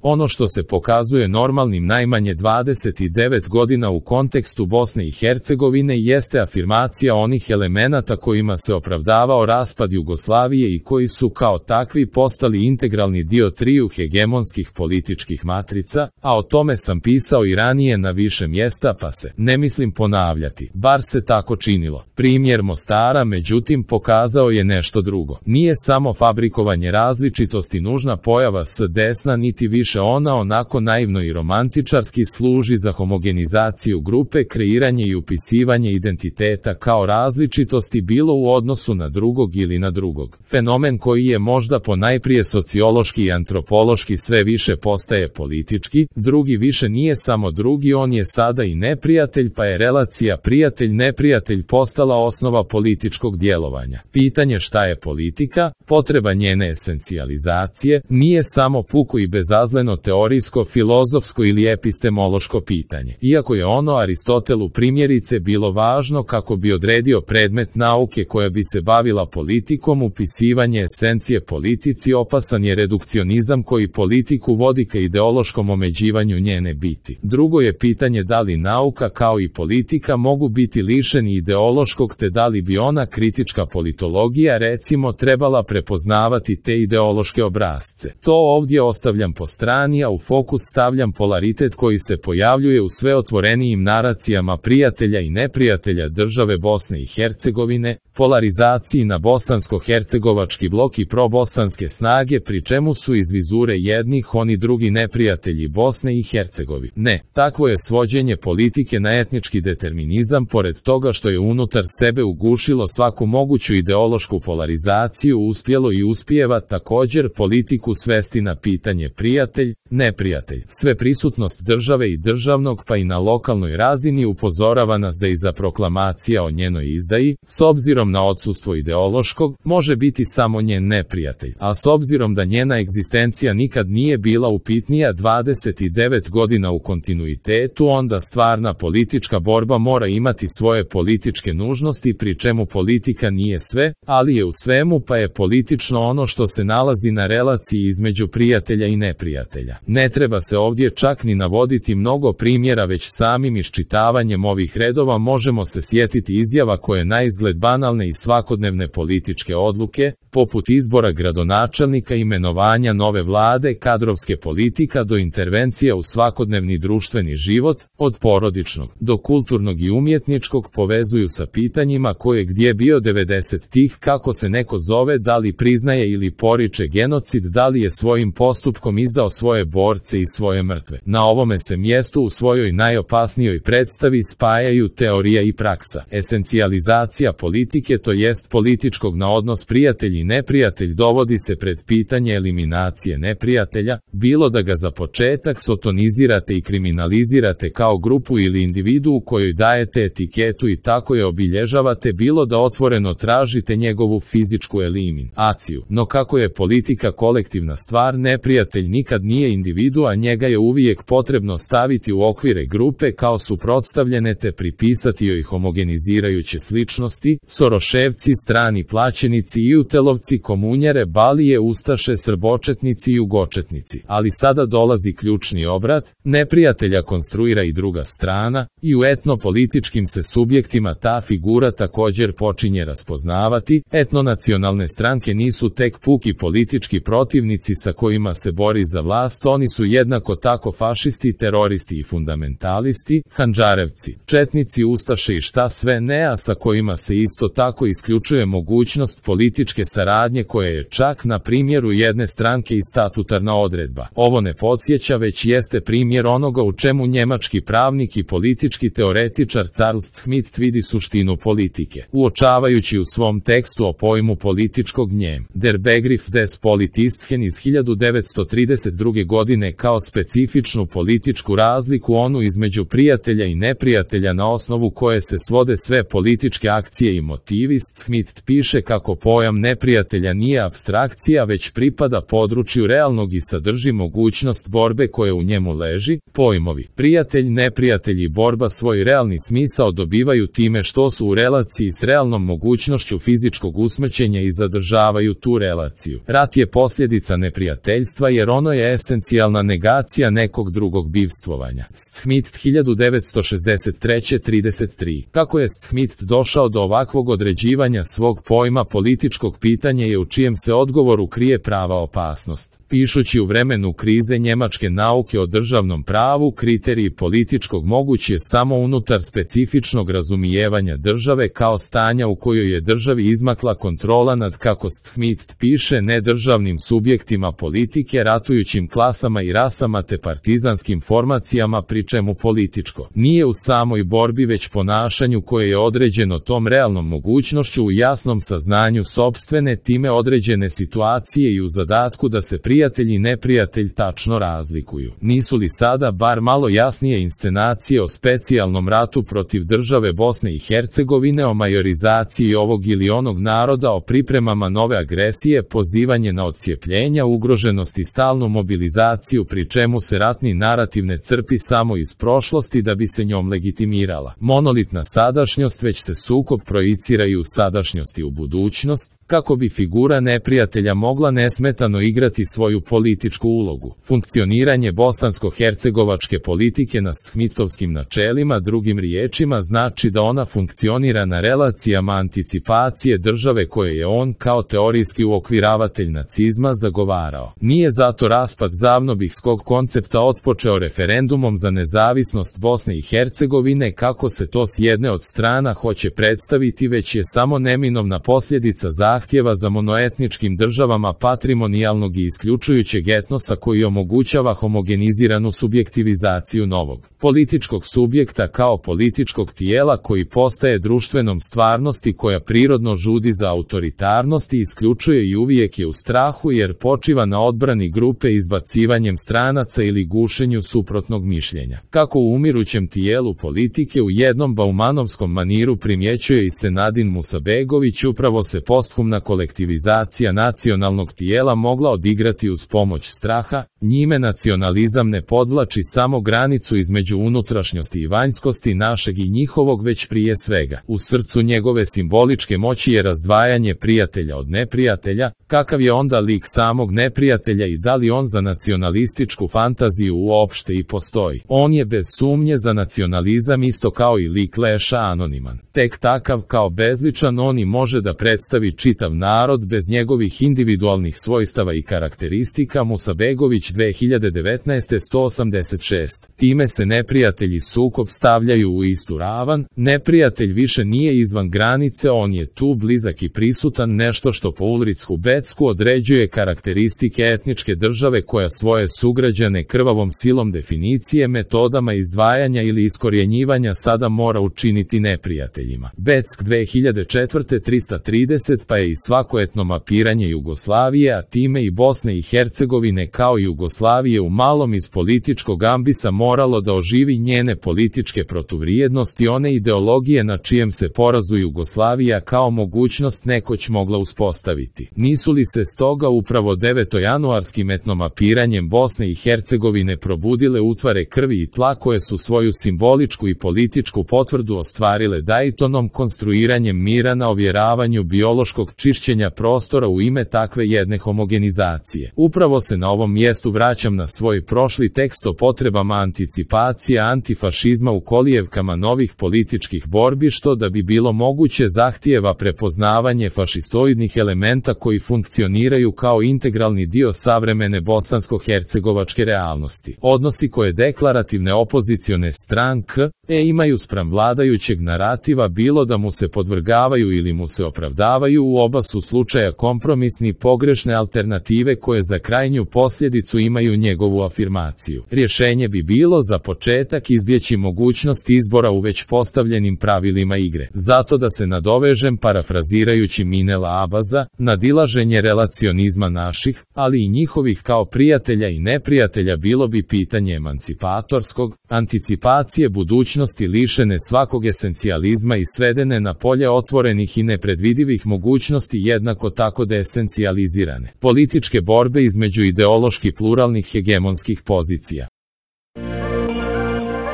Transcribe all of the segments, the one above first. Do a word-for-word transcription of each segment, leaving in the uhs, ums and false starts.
Ono što se pokazuje normalnim najmanje dvadeset devet godina u kontekstu Bosne i Hercegovine jeste afirmacija onih elemenata kojima se opravdavao raspad Jugoslavije i koji su kao takvi postali integralni dio triju hegemonskih političkih matrica, a o tome sam pisao i ranije na više mjesta pa se ne mislim ponavljati, bar se tako činilo. Primjer Mostara međutim pokazao je nešto drugo. Nije samo fabrikovanje različitosti nužna pojava s desna, niti više ona onako naivno i romantičarski služi za homogenizaciju grupe, kreiranje i upisivanje identiteta kao različitosti bilo u odnosu na drugog ili na drugog. Fenomen koji je možda ponajprije sociološki i antropološki sve više postaje politički, drugi više nije samo drugi, on je sada i neprijatelj, pa je relacija prijatelj-neprijatelj postala osnova političkog djelovanja. Pitanje šta je politika, potreba njene esencijalizacije, nije samo puko i bezazleno teorijsko, filozofsko ili epistemološko pitanje. Iako je ono Aristotelu primjerice bilo važno kako bi odredio predmet nauke koja bi se bavila politikom, upisivanje esencije politici opasan je redukcionizam koji politiku vodi ka ideološkom omeđivanju njene biti. Drugo je pitanje da li nauka kao i politika mogu biti lišeni ideološkog, te da li bi ona kritička politologija recimo trebala prepoznavati te ideološke obrasce. To ovdje ostavljam po strani, a u fokus stavljam polaritet koji se pojavljuje u sve otvorenijim naracijama prijatelja i neprijatelja države Bosne i Hercegovine, polarizaciji na bosansko-hercegovački blok i probosanske snage, pri čemu su iz vizure jednih oni drugi neprijatelji Bosne i Hercegovine. Ne, takvo je svođenje politike na etnički determinizam, pored toga što je unutar sebe ugušilo svaku moguću ideološku polarizaciju, uspjelo i uspijeva također politiku svesti na pitanje prijatelj, neprijatelj. Sve prisutnost države i državnog pa i na lokalnoj razini upozorava nas da iza proklamacija o njenoj izdaji, s obzirom na odsustvo ideološkog, može biti samo njen neprijatelj, a s obzirom da njena egzistencija nikad nije bila upitnija dvadeset devet godina u kontinuitetu, onda stvarna politička borba mora imati svoje političke nužnosti, pri čemu politika nije sve, ali je u svemu, pa je politično ono što se nalazi na relaciji između prijatelja i neprijatelja. Ne treba se ovdje čak ni navoditi mnogo primjera, već samim iščitavanjem ovih redova možemo se sjetiti izjava koje naizgled banalne i svakodnevne političke odluke, poput izbora gradonačelnika, imenovanja nove vlade, kadrovske politika do intervencija u svakodnevni društveni život, od porodičnog do kulturnog i umjetničkog, povezuju sa pitanjima ko je gdje bio devedesetih, kako se neko zove, da li priznaje ili poriče genocid, da li je svojim postupkom izdao svoje borce i svoje mrtve. Na ovome se mjestu u svojoj najopasnijoj predstavi spajaju teorija i praksa. Esencijalizacija politike, to jest političkog na odnos prijatelj i neprijatelj, dovodi se pred pitanje eliminacije neprijatelja, bilo da ga za početak sotonizirate i kriminalizirate kao grupu ili individu u kojoj dajete etiketu i tako je obilježavate, bilo da otvoreno tražite njegovu fizičku eliminaciju. No kako je politika kolektivna stvar, neprijatelj nikad nije individu, a njega je uvijek potrebno staviti u okvire grupe kao suprotstavljene te pripisati joj homogenizirajuće sličnosti, Soroševci, strani plaćenici i utelovci, komunjare, balije, ustaše, srbočetnici i jugočetnici. Ali sada dolazi ključni obrat, neprijatelja konstruira i druga strana, i u etnopolitičkim se subjektima ta figura također počinje raspoznavati. Etnonacionalne stranke nisu tek puki politički protivnici sa kojima se bori za vlast, oni su jednako tako fašisti, teroristi i fundamentalisti, handžarevci, četnici, ustaše i šta sve ne, a sa kojima se isto tako isključuje mogućnost političke saradnje koja je čak na primjeru jedne stranke i statutarna odredba. Ovo ne podsjeća, već jeste primjer onoga u čemu njemački pravnik i politički teoretičar Charles Schmitt vidi suštinu politike, uočavajući u svom tekstu o pojmu političkog njem Der Begriff des Politischen iz hiljadu devetsto trideset druge godine kao specifičnu političku razliku, onu između prijatelja i neprijatelja na osnovu koje se svode sve političke akcije i motivi. Schmitt piše kako pojam neprijatelja nije apstrakcija, već pripada području realnog i sadrži mogućnost borbe koje u njemu leži. Pojmovi prijatelj, neprijatelj i borba svoj realni smisao dobivaju time što su u relaciji s realnom mogućnošću fizičkog usmrćenja i zadržavaju tu relaciju. Rat je posljedica neprijateljstva jer ono je je esencijalna negacija nekog drugog bivstvovanja. Smith hiljadu devetsto šezdeset treće trideset tri. Kako je Smith došao do ovakvog određivanja svog pojma političkog pitanja je u čijem se odgovoru krije prava opasnost. Pišući u vremenu krize njemačke nauke o državnom pravu, kriteriji političkog moguć je samo unutar specifičnog razumijevanja države kao stanja u kojoj je državi izmakla kontrola nad, kako Smith piše, nedržavnim subjektima politike, ratujućim klasama i rasama te partizanskim formacijama, pri čemu političko nije u samoj borbi već ponašanju koje je određeno tom realnom mogućnošću u jasnom saznanju sopstvene time određene situacije i u zadatku da se prijatelj i neprijatelj tačno razlikuju. Nisu li sada bar malo jasnije inscenacije o specijalnom ratu protiv države Bosne i Hercegovine, o majorizaciji ovog ili onog naroda, o pripremama nove agresije, pozivanje na odcijepljenja, ugroženost i stalnu mobilizaciju, pri čemu se ratni narativ ne crpi samo iz prošlosti da bi se njom legitimirala monolitna sadašnjost, već se sukob projicira i u sadašnjost i u budućnost, kako bi figura neprijatelja mogla nesmetano igrati svoju političku ulogu. Funkcioniranje bosansko-hercegovačke politike na smithovskim načelima, drugim riječima, znači da ona funkcionira na relacijama anticipacije države koje je on kao teorijski uokviravatelj nacizma zagovarao. Nije zato raspad zavnobihskog koncepta otpočeo referendumom za nezavisnost Bosne i Hercegovine, kako se to s jedne od strana hoće predstaviti, već je samo neminovna posljedica zahtjeva zahtjeva za monoetničkim državama patrimonijalnog i isključujućeg etnosa koji omogućava homogeniziranu subjektivizaciju novog političkog subjekta kao političkog tijela koji postaje društvenom stvarnosti koja prirodno žudi za autoritarnost i isključuje i uvijek je u strahu jer počiva na odbrani grupe izbacivanjem stranaca ili gušenju suprotnog mišljenja. Kako u umirućem tijelu politike u jednom baumanovskom maniru primjećuje i Senadin Musabegović, upravo se posthumna kolektivizacija nacionalnog tijela mogla odigrati uz pomoć straha, njime nacionalizam ne podvlači samo granicu između unutrašnjosti i vanjskosti našeg i njihovog, već prije svega u srcu njegove simboličke moći je razdvajanje prijatelja od neprijatelja. Kakav je onda lik samog neprijatelja i da li on za nacionalističku fantaziju uopšte i postoji? On je bez sumnje za nacionalizam isto kao i lik Leša anoniman. Tek takav kao bezličan on i može da predstavi čitav narod bez njegovih individualnih svojstava i karakteristika. Musabegović dve hiljade devetnaeste sto osamdeset šest. Time se neprijatelji sukob stavljaju u istu ravan, neprijatelj više nije izvan granice, on je tu blizak i prisutan, nešto što po Ulricu Becku određuje karakteristike etničke države koja svoje sugrađane krvavom silom definicije, metodama izdvajanja ili iskorjenjivanja sada mora učiniti neprijateljima. Beck dve hiljade četvrte trista trideset. Pa je i svako etno mapiranje Jugoslavije, a time i Bosne i Hercegovine kao i Jugoslavije u malom iz političkog ambisa moralo da oživi njene političke protuvrijednosti, one ideologije na čijem se porazu Jugoslavija kao mogućnost nekoć mogla uspostaviti. Nisu li se stoga upravo devetojanuarskim etnomapiranjem Bosne i Hercegovine probudile utvare krvi i tla koje su svoju simboličku i političku potvrdu ostvarile Daytonom, konstruiranjem mira na ovjeravanju biološkog čišćenja prostora u ime takve jedne homogenizacije? Upravo se na ovom mjestu vraćam na svoj prošli tekst o potrebama anticipacije antifašizma u kolijevkama novih političkih borbi, što da bi bilo moguće zahtijeva prepoznavanje fašistoidnih elementa koji funkcioniraju kao integralni dio savremene bosansko-hercegovačke realnosti. Odnosi koje deklarativne opozicione stranke e imaju spram vladajućeg narativa, bilo da mu se podvrgavaju ili mu se opravdavaju, u oba su slučaja kompromisni, pogrešne alternative koje za krajnju posljedicu imaju njegovu afirmaciju. Rješenje bi bilo za početak izbjeći mogućnost izbora u već postavljenim pravilima igre. Zato da se nadovežem parafrazirajući Minela Abaza, nadilaženje relacionizma naših, ali i njihovih kao prijatelja i neprijatelja bilo bi pitanje emancipatorskog, anticipacije budućnosti lišene svakog esencijalizma i svedene na polje otvorenih i nepredvidivih mogućnosti, jednako tako desencijalizirane političke borbe između ideološki pluralnih hegemonskih pozicija.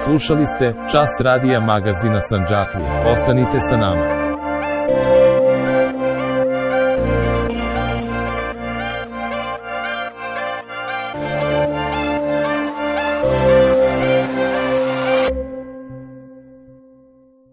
Slušali ste Čas radija magazina Sandžaklija. Ostanite sa nama.